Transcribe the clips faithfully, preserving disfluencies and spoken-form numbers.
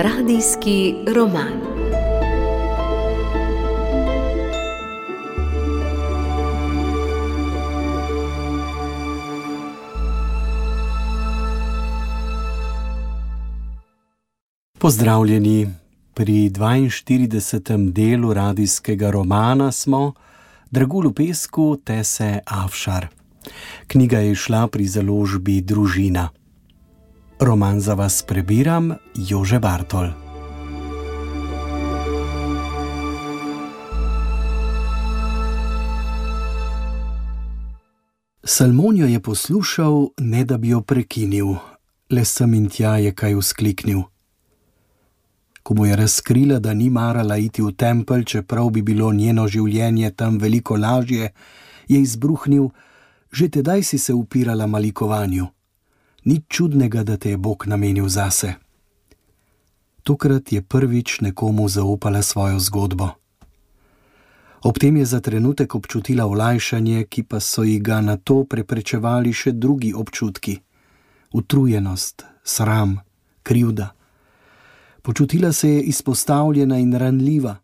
Radijski roman. Pozdravljeni, pri dvainštiridesetem delu radijskega romana smo Dragulj v pesku Tese Afšar. Knjiga je izšla pri založbi Družina. Roman za vas prebiram Jože Bartol. Salmon jo je poslušal, ne da bi jo prekinil, le sem in tja je kaj vzkliknil. Ko mu je razkrila, da ni marala iti v tempelj, čeprav bi bilo njeno življenje tam veliko lažje, je izbruhnil: že tedaj si se upirala malikovanju. Nič čudnega, da te je Bog namenil zase. Tokrat je prvič nekomu zaupala svojo zgodbo. Ob tem je za trenutek občutila olajšanje, ki pa so ji ga na to preprečevali še drugi občutki. Utrujenost, sram, krivda. Počutila se je izpostavljena in ranljiva.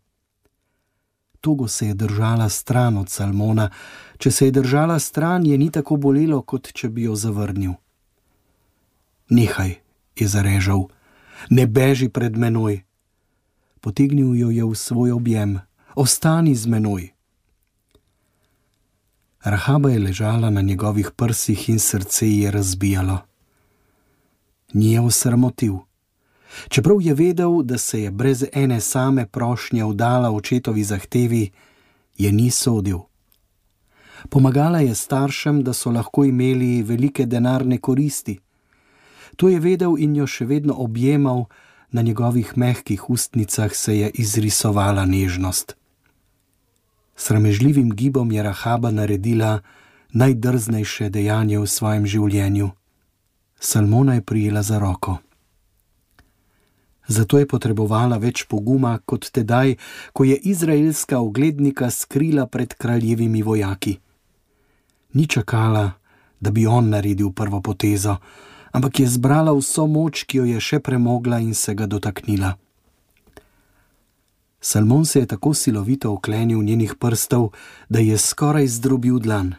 Togo se je držala stran od Salmona. Če se je držala stran, je ni tako bolelo, kot če bi jo zavrnil. Nehaj, je zarežal, ne beži pred menoj. Potegnil jo je v svoj objem. Ostani z menoj. Rahaba je ležala na njegovih prsih in srce ji je razbijalo. Ni je osramotil. Čeprav je vedel, da se je brez ene same prošnje vdala očetovi zahtevi, je ni sodil. Pomagala je staršem, da so lahko imeli velike denarne koristi. To je vedel in jo še vedno objemal, na njegovih mehkih ustnicah se je izrisovala nežnost. Sramežljivim gibom je Rahaba naredila najdrznejše dejanje v svojem življenju. Salmona je prijela za roko. Zato je potrebovala več poguma kot tedaj, ko je izraelska oglednika skrila pred kraljevimi vojaki. Ni čakala, da bi on naredil prvo potezo, ampak je zbrala vso moč, ki jo je še premogla in se ga dotaknila. Salmon se je tako silovito oklenil njenih prstov, da je skoraj zdrobil dlan.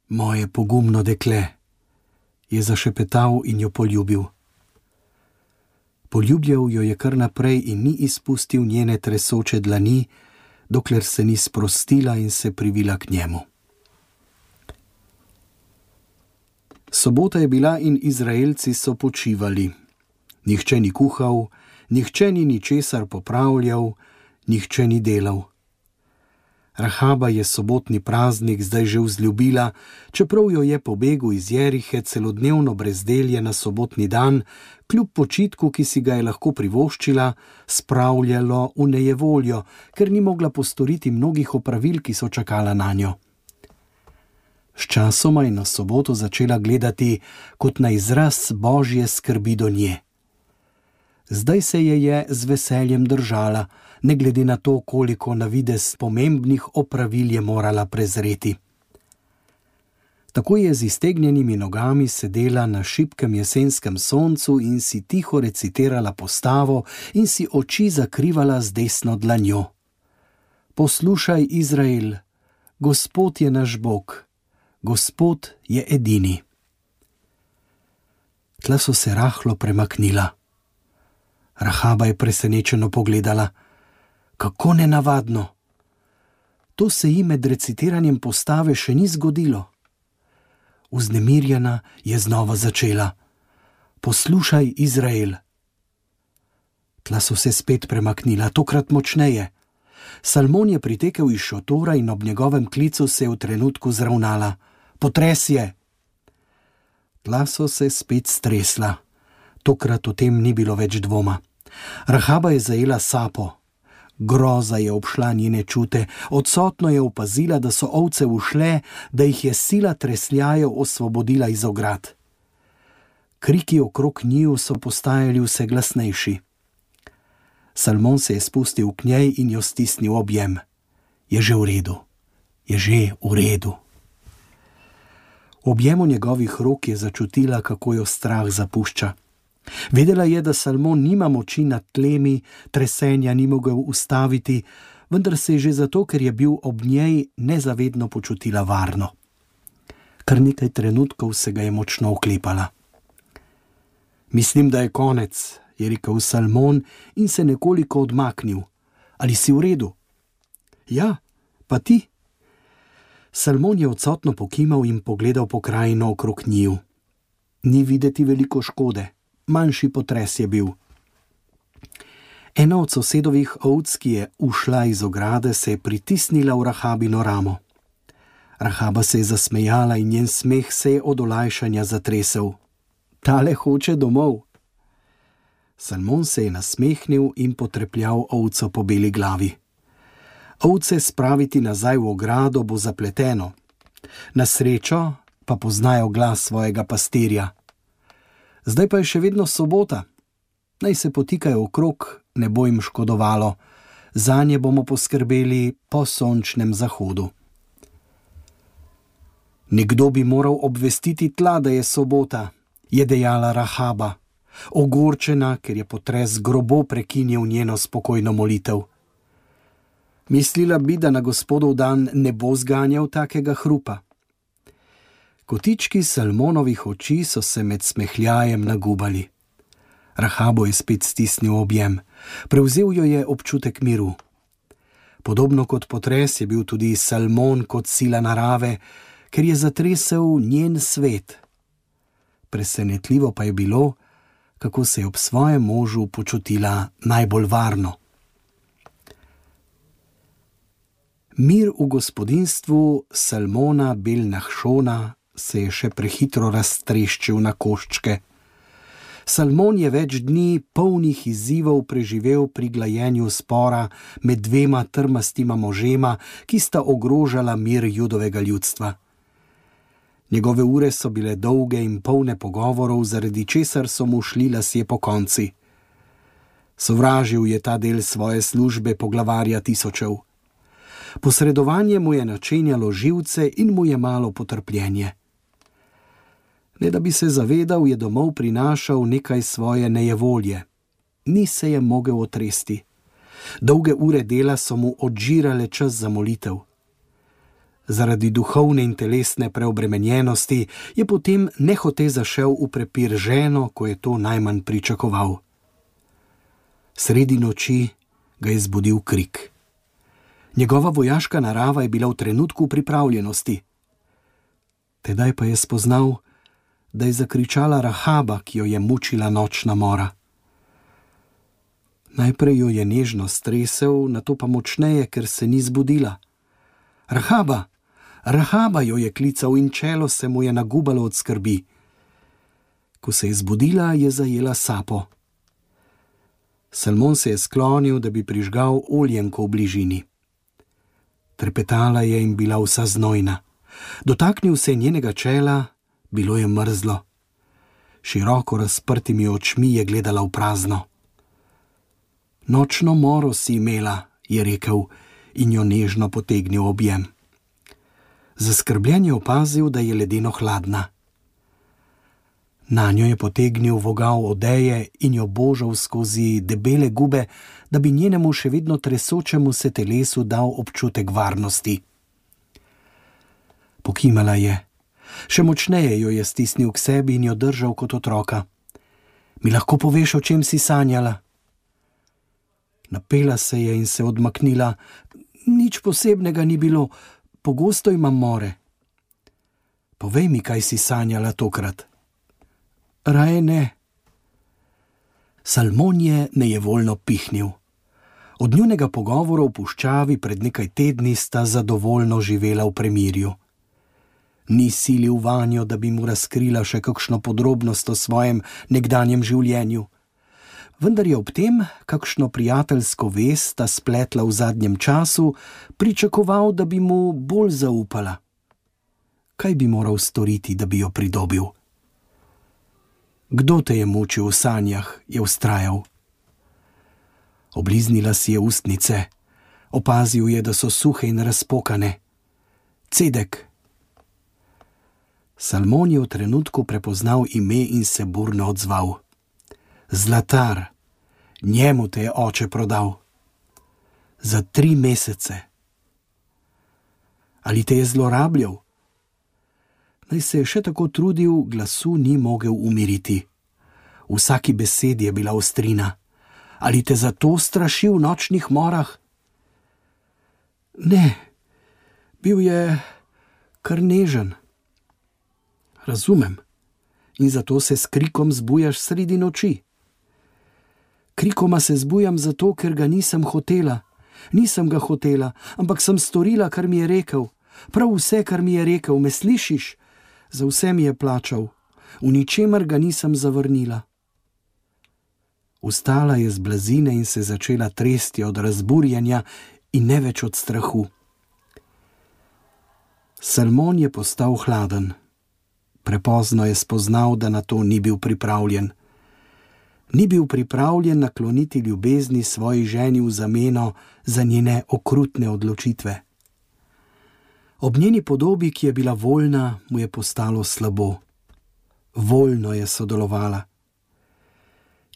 Moje pogumno dekle, je zašepetal in jo poljubil. Poljubljal jo je kar naprej in ni izpustil njene tresoče dlani, dokler se ni sprostila in se privila k njemu. Sobota je bila in Izraelci so počivali. Nihče ni kuhal, nihče ni ničesar popravljal, nihče ni delal. Rahaba je sobotni praznik zdaj že vzljubila, čeprav jo je po begu iz Jerihe celodnevno brezdelje na sobotni dan, kljub počitku, ki si ga je lahko privoščila, spravljalo v nejevoljo, ker ni mogla postoriti mnogih opravil, ki so čakala nanjo. Sčasoma je na soboto začela gledati kot na izraz Božje skrbi do nje. Zdaj se je je z veseljem držala, ne glede na to, koliko na videz pomembnih opravil je morala prezreti. Tako je z iztegnjenimi nogami sedela na šibkem jesenskem soncu in si tiho recitirala postavo in si oči zakrivala z desno dlanjo. Poslušaj, Izrael, Gospod je naš Bog, Gospod je edini. Tla so se rahlo premaknila. Rahaba je presenečeno pogledala. Kako nenavadno! To se ji med recitiranjem postave še ni zgodilo. Vznemirjena je znova začela. Poslušaj, Izrael. Tla so se spet premaknila, tokrat močneje. Salmon je pritekel iz šotora in ob njegovem klicu se je v trenutku zravnala. Potres je! Tla so se spet stresla. Tokrat o tem ni bilo več dvoma. Rahaba je zajela sapo. Groza je obšla njene čute, odsotno je opazila, da so ovce ušle, da jih je sila tresljajev osvobodila iz ograd. Kriki okrog njiju so postajali vse glasnejši. Salmon se je spustil k njej in jo stisnil v objem. Je že v redu, je že v redu. V objemu njegovih rok je začutila, kako jo strah zapušča. Vedela je, da Salmon nima moči nad tlemi, tresenja ni mogel ustaviti, vendar se je že zato, ker je bil ob njej, nezavedno počutila varno. Kar nekaj trenutkov se ga je močno oklepala. Mislim, da je konec, je rekel Salmon in se nekoliko odmaknil. Ali si v redu? Ja, pa ti? Salmon je odsotno pokimal in pogledal po krajino okrog njiju. Ni videti veliko škode, manjši potres je bil. Ena od sosedovih ovc, ki je ušla iz ograde, se je pritisnila v Rahabino ramo. Rahaba se je zasmejala in njen smeh se je od olajšanja zatresel. Tale hoče domov. Salmon se je nasmehnil in potrepljal ovco po beli glavi. Ovce spraviti nazaj v ogrado bo zapleteno. Na srečo pa poznajo glas svojega pastirja. Zdaj pa je še vedno sobota. Naj se potikajo okrog, ne bo jim škodovalo. Zanje bomo poskrbeli po sončnem zahodu. Nekdo bi moral obvestiti tla, da je sobota, je dejala Rahaba, ogorčena, ker je potres grobo prekinil njeno spokojno molitev. Mislila bi, da na Gospodov dan ne bo zganjal takega hrupa. Kotički Salmonovih oči so se med smehljajem nagubali. Rahabo je spet stisnil objem. Prevzel jo je občutek miru. Podobno kot potres je bil tudi Salmon kot sila narave, ker je zatresel njen svet. Presenetljivo pa je bilo, kako se je ob svojem možu počutila najbolj varno. Mir v gospodinstvu Salmona Bel Nahšona se je še prehitro raztreščil na koščke. Salmon je več dni polnih izzivov preživel pri glajenju spora med dvema trmastima možema, ki sta ogrožala mir judovega ljudstva. Njegove ure so bile dolge in polne pogovorov, zaradi česar so mu šli lasje pokonci. Sovražil je ta del svoje službe poglavarja tisočev. Posredovanje mu je načenjalo živce in mu je malo potrpljenje. Ne da bi se zavedal, je domov prinašal nekaj svoje nejevolje. Ni se je mogel otresti. Dolge ure dela so mu odžirale čas za molitev. Zaradi duhovne in telesne preobremenjenosti je potem nehote zašel v prepir z ženo, ko je to najmanj pričakoval. Sredi noči ga je zbudil krik. Njegova vojaška narava je bila v trenutku pripravljenosti. Tedaj pa je spoznal, da je zakričala Rahaba, ki jo je mučila nočna mora. Najprej jo je nežno stresel, nato pa močneje, ker se ni zbudila. Rahaba! Rahaba, jo je klical in čelo se mu je nagubalo od skrbi. Ko se je zbudila, je zajela sapo. Salmon se je sklonil, da bi prižgal oljenko v bližini. Trepetala je in bila vsa znojna. Dotaknil se je njenega čela, bilo je mrzlo. Široko razprtimi očmi je gledala v prazno. Nočno moro si imela, je rekel in jo nežno potegnil objem. Zaskrbljen je opazil, da je ledeno hladna. Nanjo je potegnil vogal odeje in jo božal skozi debele gube, da bi njenemu še vedno tresočemu se telesu dal občutek varnosti. Pokimala je. Še močneje jo je stisnil k sebi in jo držal kot otroka. Mi lahko poveš, o čem si sanjala? Napela se je in se odmaknila. Nič posebnega ni bilo, pogosto imam more. Povej mi, kaj si sanjala tokrat. Raje ne. Salmon je nejevoljno pihnil. Od njunega pogovora v puščavi pred nekaj tedni sta zadovoljno živela v premirju. Ni silil vanjo, da bi mu razkrila še kakšno podrobnost o svojem nekdanjem življenju. Vendar je ob tem, kakšno prijateljsko vest sta spletla v zadnjem času, pričakoval, da bi mu bolj zaupala. Kaj bi moral storiti, da bi jo pridobil? Kdo te je mučil v sanjah, je vztrajal. Obliznila si je ustnice. Opazil je, da so suhe in razpokane. Cedek. Salmon je v trenutku prepoznal ime in se burno odzval. Zlatar, njemu te je oče prodal. Za tri mesece. Ali te je zlorabljal? Naj se je še tako trudil, glasu ni mogel umiriti. V vsaki besedi je bila ostrina. Ali te zato strašil v nočnih morah? Ne, bil je kar nežen. Razumem. In zato se s krikom zbujaš sredi noči. Krikoma se zbujam zato, ker ga nisem hotela. Nisem ga hotela, ampak sem storila, kar mi je rekel. Prav vse, kar mi je rekel, me slišiš? Za vse mi je plačal. V ničemer ga nisem zavrnila. Vstala je z blazine in se začela tresti od razburjenja in ne več od strahu. Salmon je postal hladen. Prepozno je spoznal, da na to ni bil pripravljen. Ni bil pripravljen nakloniti ljubezni svoji ženi v zameno za njene okrutne odločitve. Ob njeni podobi, ki je bila voljna, mu je postalo slabo. Voljno je sodelovala.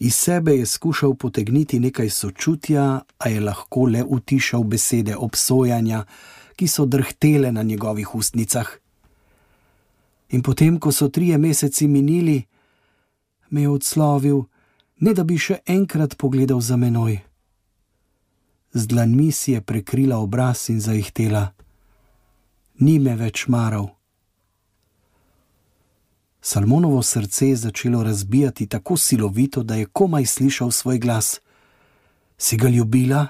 Iz sebe je skušal potegniti nekaj sočutja, a je lahko le utišal besede obsojanja, ki so drhtele na njegovih ustnicah. In potem, ko so trije meseci minili, me je odslovil, ne da bi še enkrat pogledal za menoj. Z dlanmi si je prekrila obraz in zaihtela. Ni me več maral. Salmonovo srce je začelo razbijati tako silovito, da je komaj slišal svoj glas. Si ga ljubila?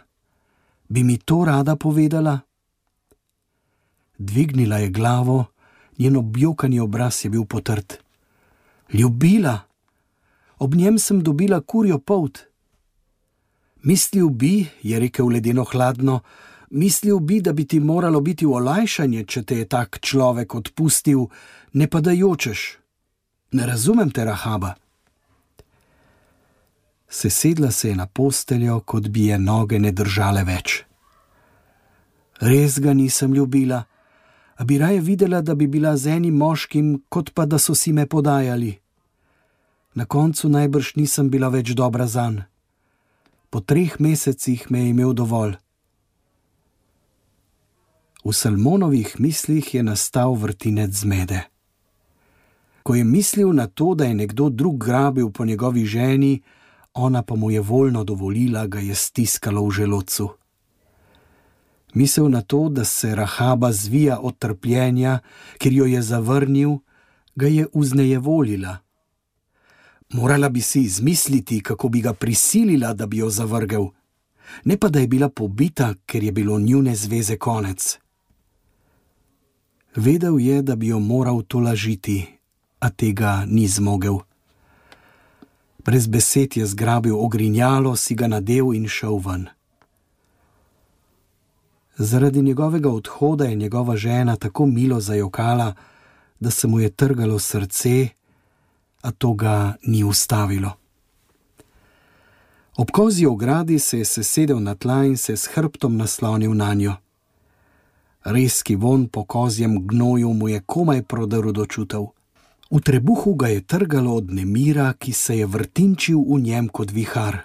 Bi mi to rada povedala? Dvignila je glavo, njen objokani obraz je bil potrt. Ljubila? Ob njem sem dobila kurjo polt. Mislil bi, je rekel ledeno hladno, mislil bi, da bi ti moralo biti v olajšanje, če te je tak človek odpustil, ne pa da jočeš. Ne razumem te, Rahaba. Sesedla se je na posteljo, kot bi je noge ne držale več. Res ga nisem ljubila, a bi raje videla, da bi bila z enim moškim, kot pa da so si me podajali. Na koncu najbrž nisem bila več dobra zanj. Po treh mesecih me je imel dovolj. V Salmonovih mislih je nastal vrtinec zmede. Ko je mislil na to, da je nekdo drug grabil po njegovi ženi, ona pa mu je voljno dovolila, ga je stiskalo v želodcu. Misel na to, da se Rahaba zvija od trpljenja, ker jo je zavrnil, ga je vznejevolila. Morala bi si izmisliti, kako bi ga prisilila, da bi jo zavrgel, ne pa da je bila pobita, ker je bilo njune zveze konec. Vedel je, da bi jo moral tolažiti, a tega ni zmogel. Brez besed je zgrabil ogrinjalo, si ga nadel in šel ven. Zaradi njegovega odhoda je njegova žena tako milo zajokala, da se mu je trgalo srce, a to ga ni ustavilo. Ob kozji ogradi se je sesedel na tla in se s hrbtom naslonil nanjo. Rezki vonj po kozjem gnoju mu je komaj prodrl do čutev. V trebuhu ga je trgalo od nemira, ki se je vrtinčil v njem kot vihar.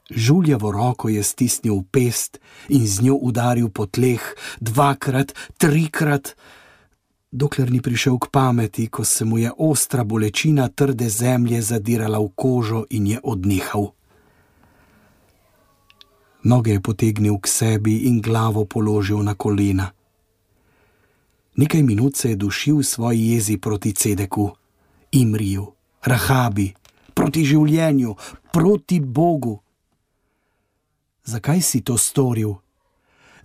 Žuljavo roko je stisnil v pest in z njo udaril po tleh, dvakrat, trikrat, dokler ni prišel k pameti, ko se mu je ostra bolečina trde zemlje zadirala v kožo in je odnehal. Noge je potegnil k sebi in glavo položil na kolena. Nekaj minut se je dušil v svoji jezi proti Cedeku, Imriju, Rahabi, proti življenju, proti Bogu. Zakaj si to storil?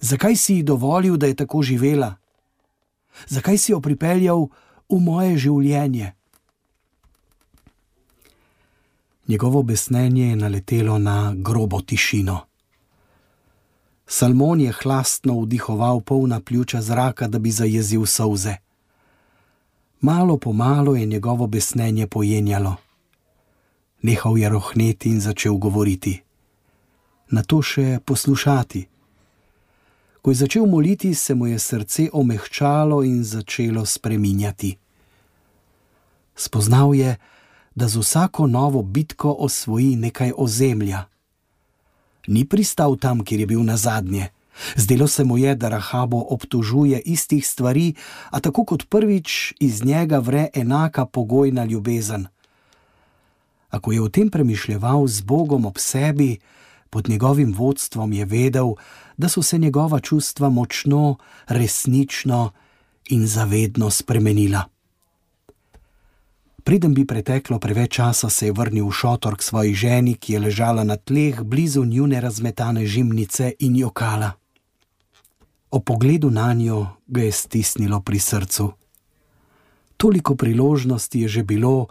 Zakaj si ji dovolil, da je tako živela? Zakaj si jo pripeljal v moje življenje? Njegovo besnenje je naletelo na grobo tišino. Salmon je hlastno vdihoval polna pljuča zraka, da bi zajezil solze. Malo po malo je njegovo besnenje pojenjalo. Nehal je rohneti in začel govoriti. Nato še poslušati. Ko je začel moliti, se mu je srce omehčalo in začelo spreminjati. Spoznal je, da z vsako novo bitko osvoji nekaj ozemlja. Ni pristal tam, kjer je bil nazadnje. Zdelo se mu je, da Rahabo obtožuje istih stvari, a tako kot prvič iz njega vre enaka pogojna ljubezen. Ako je o tem premišljeval z Bogom ob sebi, pod njegovim vodstvom je vedel, da so se njegova čustva močno, resnično in zavedno spremenila. Preden bi preteklo preveč časa, se je vrnil v šotor k svoji ženi, ki je ležala na tleh blizu njune razmetane žimnice in jokala. O pogledu nanjo ga je stisnilo pri srcu. Toliko priložnosti je že bilo,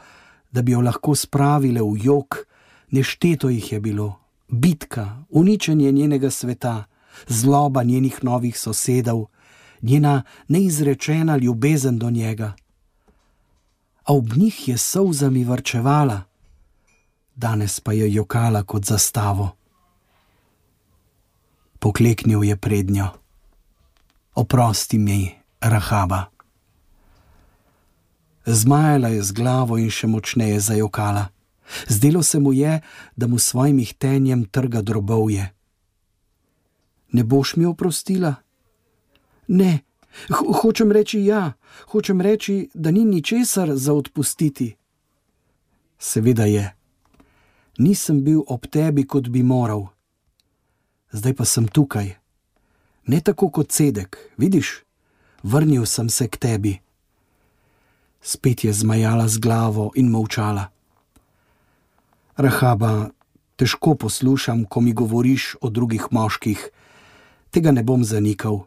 da bi jo lahko spravile v jok, nešteto jih je bilo. Bitka, uničenje njenega sveta, zloba njenih novih sosedov, njena neizrečena ljubezen do njega. A ob njih je solzami varčevala, danes pa je jokala kot zastavo. Pokleknil je prednjo. Oprosti mi, Rahaba. Zmajala je z glavo in še močneje zajokala. Zdelo se mu je, da mu svojim ihtenjem trga drobovje. Ne boš mi oprostila? Ne, Ho hočem reči ja, hočem reči, da ni ničesar za odpustiti. Seveda je. Nisem bil ob tebi, kot bi moral. Zdaj pa sem tukaj. Ne tako kot Cedek, vidiš? Vrnil sem se k tebi. Spet je zmajala z glavo in molčala. Rahaba, težko poslušam, ko mi govoriš o drugih moških. Tega ne bom zanikal.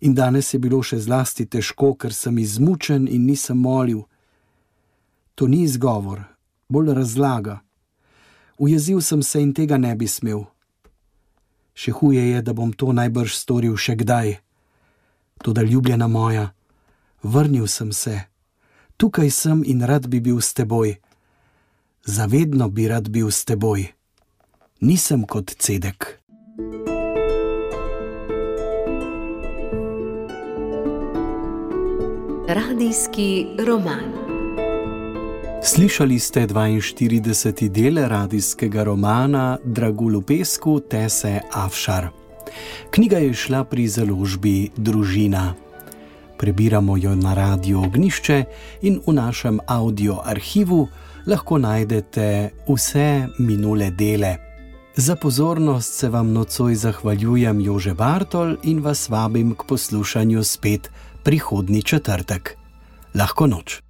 In danes je bilo še zlasti težko, ker sem izmučen in nisem molil. To ni izgovor, bolj razlaga. Ujezil sem se in tega ne bi smel. Še huje je, da bom to najbrž storil še kdaj. Toda ljubljena moja, vrnil sem se. Tukaj sem in rad bi bil s teboj. Zavedno bi rad bil s teboj. Nisem kot Cedek. Radijski roman. Slišali ste dvainštirideseti del radijskega romana Dragulj v pesku Tese Afšar. Knjiga je šla pri založbi Družina. Prebiramo jo na Radiu Ognjišče in v našem audio arhivu lahko najdete vse minule dele. Za pozornost se vam nocoj zahvaljujem Jože Bartol in vas vabim k poslušanju spet prihodnji četrtek. Lahko noč.